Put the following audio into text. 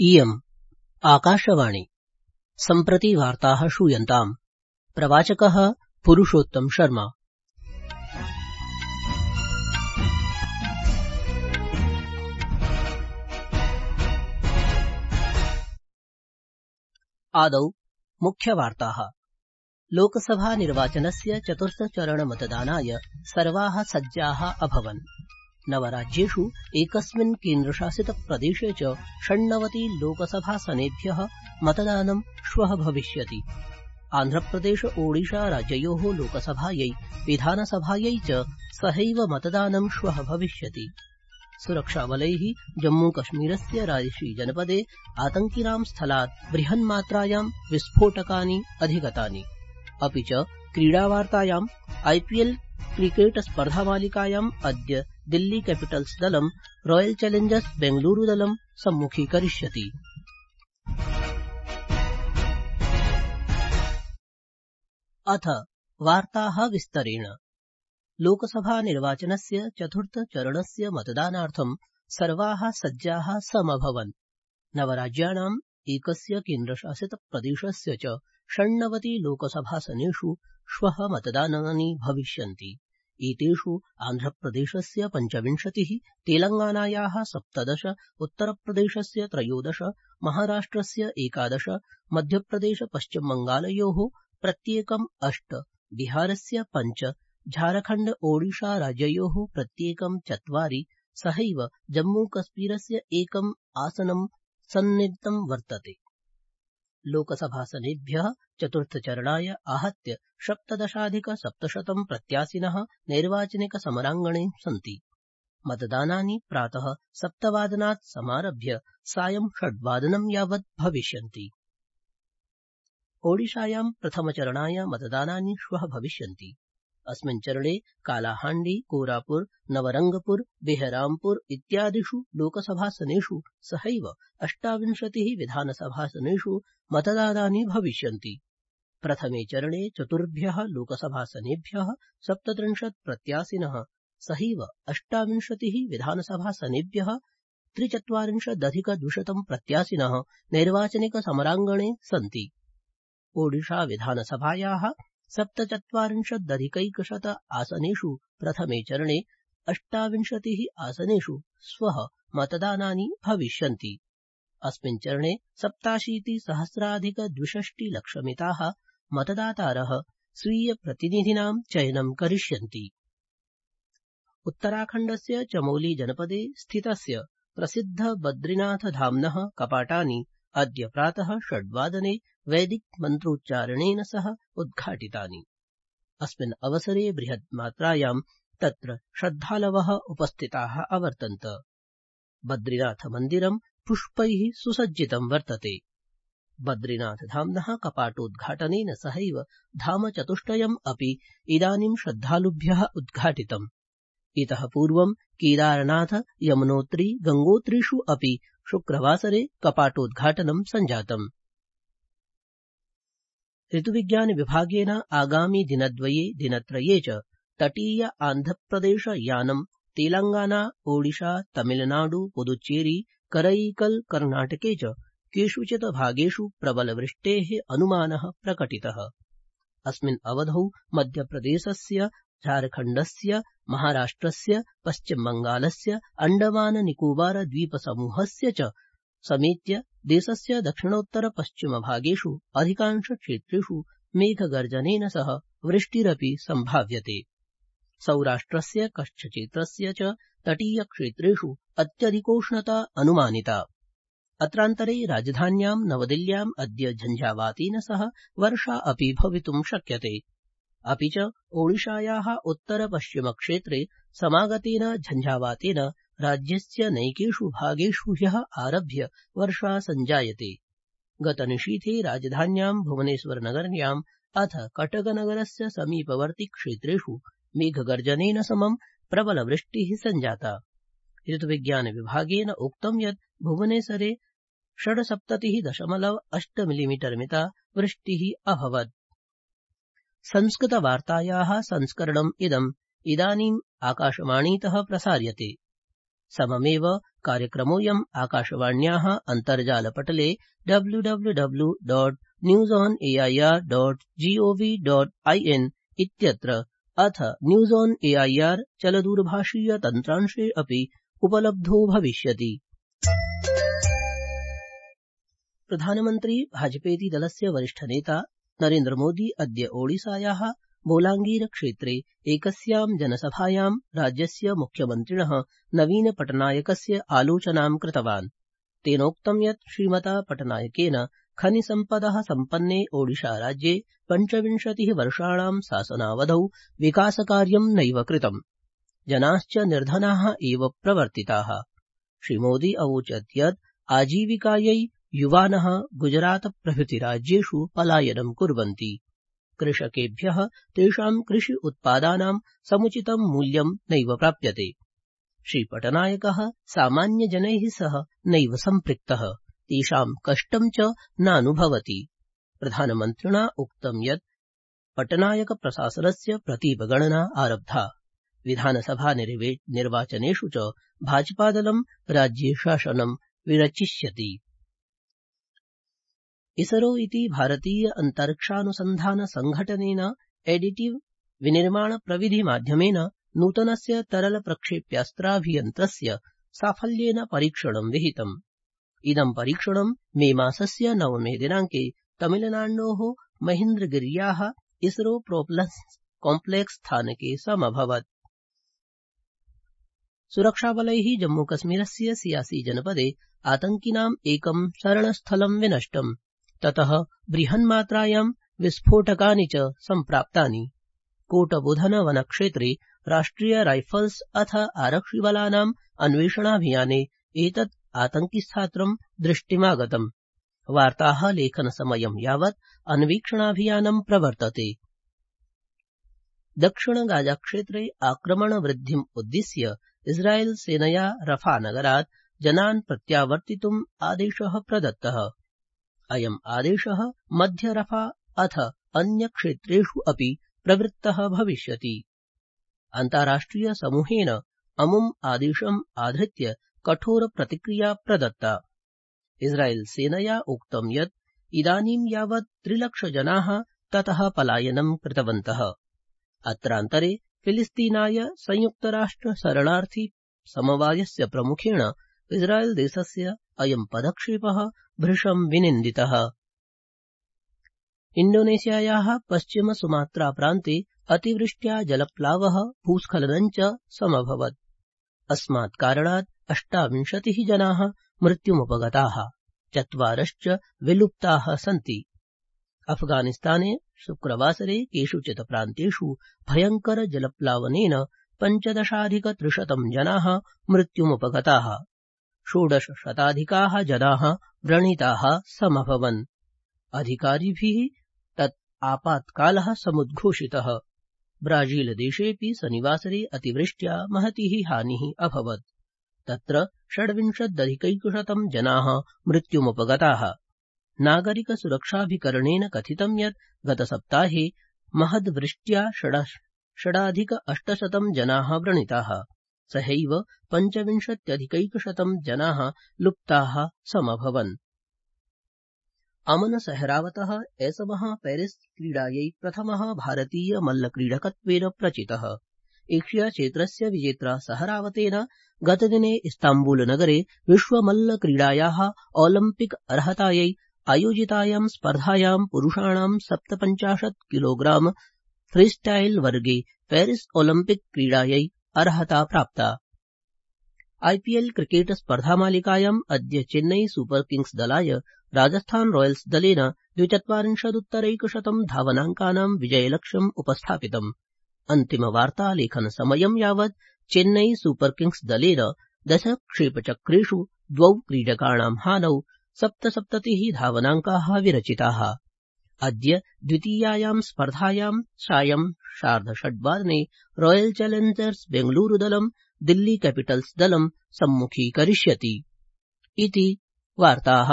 इयम् आकाशवाणी। सम्प्रति वार्ताः श्रूयन्ताम्। प्रवाचकः पुरुषोत्तम शर्मा। आदौ मुख्यवार्ताः। लोकसभा निर्वाचनस्य चतुर्थचरणमतदानाय सर्वाः सज्जाः अभवन्। नवराज्येषु एकस्मिन् केन्द्रशासितप्रदेशे च 96 लोकसभासनेभ्यः मतदानं श्वः भविष्यति। आन्ध्रप्रदेश ओडिशा राज्ययोः लोकसभायै विधानसभायै च सहैव मतदानं श्वः भविष्यति। सुरक्षाबलैः जम्मूकश्मीरस्य राजौरी जनपदे आतङ्किनां स्थलात् बृहन्मात्रायां विस्फोटकानि अधिगतानि। अपि च क्रीडावार्तायाम् आईपीएल क्रिकेट स्पर्धामालिकायाम् अद्य दिल्ली कैपिटल्स दलं रॉयल चैलेंजर्स बेंगलुरू दलं सम्मुखीकरिष्यति। अथ वार्ताः विस्तरेण। लोकसभा निर्वाचनस्य चतुर्थचरणस्य मतदानार्थं सर्वाः सज्जाः समभवन्। नवराज्याणाम् एकस्य केन्द्रशासितप्रदेशस्य च 96 लोकसभासनेषु श्वः मतदानानि भविष्यन्ति। एतेषु आन्ध्रप्रदेशस्य 25, तेलंगानायाः 17, उत्तरप्रदेशस्य 13, महाराष्ट्रस्य 11, मध्यप्रदेश पश्चिमबंगालयोः प्रत्येकम् 8, बिहारस्य 5, झारखण्ड ओडिशा राज्ययोः प्रत्येकं 4, सहैव जम्मूकश्मीरस्य एकम् आसनं सन्निहितं वर्तते। लोकसभासनेभ्यः चतुर्थचरणाय आहत्य 17,700 प्रत्याशिनः नैर्वाचनिकसमराङ्गणे सन्ति। मतदानानि प्रातः 7 वादनात् समारभ्य सायं 6 वादनं यावत् भविष्यन्ति। ओडिशायां प्रथमचरणाय मतदानानि श्वः भविष्यन्ति। अस्मिन् चरणे कालाहाण्डी, कोरापुर, नवरंगपुर, बेहरामपुर इत्यादिषु लोकसभासनेषु सहैव 28 विधानसभासनेषु मतदानानि भविष्यन्ति। प्रथमे चरणे चतुर्भ्यः लोकसभासनेभ्यः 37 प्रत्याशिनः सहैव 28 विधानसभासनेभ्यः 43,200 प्रत्याशिनः नैर्वाचनिकसमराङ्गणे सन्ति। ओडिशा विधानसभायाः 47,100 आसनेषु प्रथमे चरणे 28 आसनेषु श्वः मतदानानि भविष्यन्ति। अस्मिन् चरणे 87,260,00,000 मतदातारः स्वीयप्रतिनिधीनां चयनं करिष्यन्ति। उत्तराखण्डस्य चमोली जनपदे स्थितस्य प्रसिद्ध बद्रीनाथधाम्नः कपाटानि अद्य प्रातः 6 वादने वैदिक मन्त्रोच्चारणेन सह उद्घाटितानि। अस्मिन् अवसरे बृहन्मात्रायां तत्र श्रद्धालवः उपस्थिताः अवर्तन्त। बद्रीनाथमन्दिरं पुष्पैः सुसज्जितं वर्तते। बद्रीनाथधाम्नः कपाटोद्घाटनेन सहैव धामचतुष्टयम् अपि इदानीं श्रद्धालुभ्यः उद्घाटितम्। इतः पूर्वं केदारनाथ, यमुनोत्री, गंगोत्रीषु अपि शुक्रवासरे कपाटोद्घाटनं सञ्जातम्। ऋतुविज्ञानविभागेन आगामि दिनत्रये च तटीय आन्ध्रप्रदेश यानं, तेलंगाना, ओडिशा, तमिलनाडु, पुदुच्चेरी, करैकल कर्णाटके च केषुचित् भागेषु प्रबलवृष्टेः अनुमानः प्रकटितः। अस्मिन् अवधौ मध्यप्रदेशस्य, झारखण्डस्य, महाराष्ट्रस्य, पश्चिमबंगालस्य, अण्डमान निकोबार द्वीपसमूहस्य च समेत्य देशस्य दक्षिणोत्तरपश्चिमभागेषु अधिकांशक्षेत्रेषु मेघगर्जनेन सह वृष्टिरपि सम्भाव्यते। सौराष्ट्रस्य कच्छक्षेत्रस्य च तटीयक्षेत्रेषु अत्यधिकोष्णता अनुमानिता। अत्रान्तरे राजधान्यां नवदिल्ल्याम् अद्य झञ्झावातेन सह वर्षा अपि भवितुं शक्यते। अपि च ओडिशायाः उत्तरपश्चिमक्षेत्रे समागतेन झञ्झावातेन राज्यस्य नैकेषु भागेषु ह्यः आरभ्य वर्षा सञ्जायते। गतनिशीथे राजधान्यां भुवनेश्वरनगर्याम् अथ कटकनगरस्य समीपवर्ति क्षेत्रेषु मेघगर्जनेन समं प्रबलवृष्टिः सञ्जाता। ऋतुविज्ञानविभागेन उक्तं यत् भुवनेश्वरे 76.8 मिलिमीटर मिता वृष्टिः अभवत्। संस्कृतवार्तायाः संस्करणम् इदम् इदानीम् आकाशवाणीतः प्रसार्यते। सममेव कार्यक्रमोऽयम् आकाशवाण्याः अन्तर्जालपटले www.newsonair.gov.in इत्यत्र अथ न्यूज ऑन एआईआर चलदूरभाषीय तन्त्रांशे अपि उपलब्धो भविष्यति। प्रधानमन्त्री भाजपेति दलस्य वरिष्ठनेता नरेन्द्रमोदी अद्य ओडिसायाः बोलांगीर क्षेत्रे एकस्यां जनसभायां राज्यस्य मुख्यमन्त्रिणः नवीन पटनायकस्य आलोचनां कृतवान्। तेनोक्तं यत् श्रीमता पटनायकेन खनिसम्पदः सम्पन्ने ओडिशाराज्ये 25 वर्षाणां शासनावधौ विकासकार्यं नैव कृतम्। जनाश्च निर्धनाः एव प्रवर्तिताः। श्रीमोदी अवोचत् यत् आजीविकायै युवानः गुजरात प्रभृति राज्येषु पलायनं कुर्वन्ति। कृषकेभ्यः तेषां कृषि उत्पादानां समुचितं मूल्यं नैव प्राप्यते। श्रीपटनायकः सामान्यजनैः सह नैव सम्पृक्तः, तेषां कष्टं च नानुभवति। प्रधानमन्त्रिणा उक्तं यत् पटनायक प्रशासनस्य प्रतीपगणना आरब्धा। विधानसभा निर्वाचनेषु च भाजपादलं राज्ये शासनं विरचिष्यति। इसरो इति भारतीय अन्तरिक्षानुसन्धान संघटनेन एडिटिव विनिर्माण प्रविधि माध्यमेन नूतनस्य तरल प्रक्षेप्यास्त्राभियन्त्रस्य साफल्येन परीक्षणं विहितम्। इदं परीक्षणं मे मासस्य 9 दिनाङ्के तमिलनाडोः महेन्द्रगिर्याः इसरो प्रोपेलर् कॉम्प्लेक्स स्थानके समभवत्। सुरक्षाबलैः जम्मूकश्मीरस्य सियासी जनपदे आतङ्किनाम् एकं शरणस्थलं विनष्टम्। ततः बृहन्मात्रायां विस्फोटकानि च सम्प्राप्तानि। कोटबुधन वनक्षेत्रे राष्ट्रिय राइफल्स् अथ आरक्षिबलानाम् अन्वेषणाभियाने एतत् आतङ्किस्थात्रं दृष्टिमागतम्। वार्ताः लेखनसमयं यावत् अन्वीक्षणाभियानं प्रवर्तते। दक्षिण गाजाक्षेत्रे आक्रमणवृद्धिम् उद्दिश्य इस्राएल सेनया रफा नगरात् जनान् प्रत्यावर्तितुम् आदेशः प्रदत्तः। अयम् आदेशः मध्य रफा अथ अन्यक्षेत्रेषु अपि प्रवृत्तः भविष्यति। अन्ताराष्ट्रिय समूहेन अमुम् आदेशम् आधृत्य कठोर प्रतिक्रिया प्रदत्ता। इस्राएल सेनया उक्तं यत् इदानीं यावत् 3 लाख जनाः ततः पलायनं कृतवन्तः। अत्रान्तरे फिलिस्तीनाय संयुक्तराष्ट्र शरणार्थी समवायस्य प्रमुखेण इस्राएल देशस्य अयं पदक्षेपः भृशं विनिन्दितः। इण्डोनेशियायाः पश्चिम सुमात्रा प्रान्ते अतिवृष्ट्या जलप्लावः भूस्खलनं च समभवत्। अस्मात् कारणात् 28 जनाः मृत्युमुपगताः, 4 विलुप्ताः सन्ति। अफगानिस्ताने शुक्रवासरे केषुचित् प्रान्तेषु भयङ्कर जलप्लावनेन 15,300 जनाः मृत्युमुपगताः, 1600 जनाः व्रणिताः समभवन्। अधिकारिभिः तत् आपातकालः समुद्घोषितः। ब्राजीलदेशेऽपि शनिवासरे अतिवृष्ट्या महती हानिः अभवत्। तत्र 26,100 जनाः मृत्युमुपगताः। नागरिकसुरक्षाभिकरणेन कथितं यत् गतसप्ताहे महद्वृष्ट्या 6,800 जनाः व्रणिताः, सहैव 25,100 जनाः लुप्ताः समभवन्। अमन सहरावतः ऐसमः पेरिस क्रीडायै प्रथमः भारतीय मल्लक्रीडकत्वेन प्रचितः। एशिया क्षेत्रस्य विजेत्रा सहरावतेन गतदिने इस्ताम्बूलनगरे विश्वमल्लक्रीडायाः ओलम्पिक अर्हतायै आयोजितायां स्पर्धायां पुरुषाणां 57 किलोग्राम फ्रीस्टाइल वर्गे पेरिस ओलम्पिक क्रीडायै अर्हता प्राप्ता। आईपीएल क्रिकेट स्पर्धामालिकायाम् अद्य चेन्नई सुपर किंग्स दलाय राजस्थान रॉयल्स दलेन 42 धावनाङ्कानां विजयलक्ष्यम् उपस्थापितम्। अन्तिमवार्तालेखनसमयं यावत् चेन्नई सुपर किंग्स दलेन 10 क्षेपचक्रेषु 2 क्रीडकाणां हानौ 77 धावनाङ्काः विरचिताः। अद्य द्वितीयायां स्पर्धायां सायं 6:30 रॉयल चैलेंजर्स बेंगलूरू दलं दिल्ली कैपिटल्स दलं सम्मुखीकरिष्यति। इति वार्ताः।